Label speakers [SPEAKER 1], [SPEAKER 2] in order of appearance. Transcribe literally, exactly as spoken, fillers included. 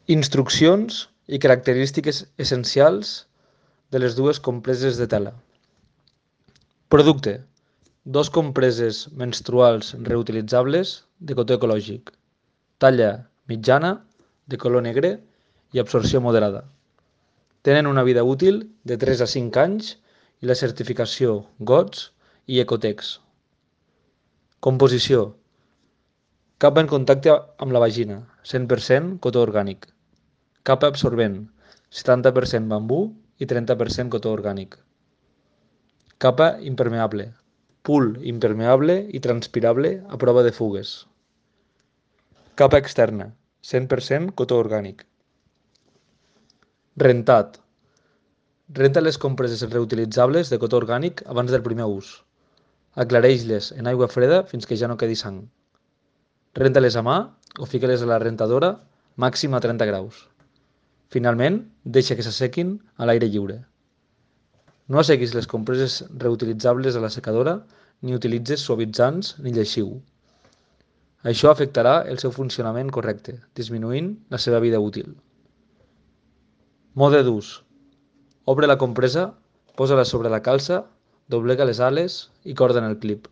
[SPEAKER 1] Instruccions i característiques essencials de les dues compreses de tela. Producte: dos compreses menstruals reutilitzables de cotó ecològic. Talla mitjana, de color negre i absorció moderada. Tenen una vida útil de tres a cinc anys i la certificació G O T S i Ecotex. Composició: capa en contacte amb la vagina, cent per cent cotó orgànic. Capa absorbent, setanta per cent bambú i trenta per cent cotó orgànic. Capa impermeable, pool impermeable i transpirable a prova de fugues. Capa externa, cent per cent cotó orgànic. Rentat: renta les compreses reutilitzables de cotó orgànic abans del primer ús. Aclareix-les en aigua freda fins que ja no quedi sang. Renta-les a mà o fica-les a la rentadora màxim a trenta graus. Finalment, deixa que s'assequin a l'aire lliure. No assequis les compreses reutilitzables a la secadora ni utilitzis suavitzants ni lleixiu. Això afectarà el seu funcionament correcte, disminuint la seva vida útil. Mode d'ús: obre la compresa, posa-la sobre la calça, doblega les ales i corda en el clip.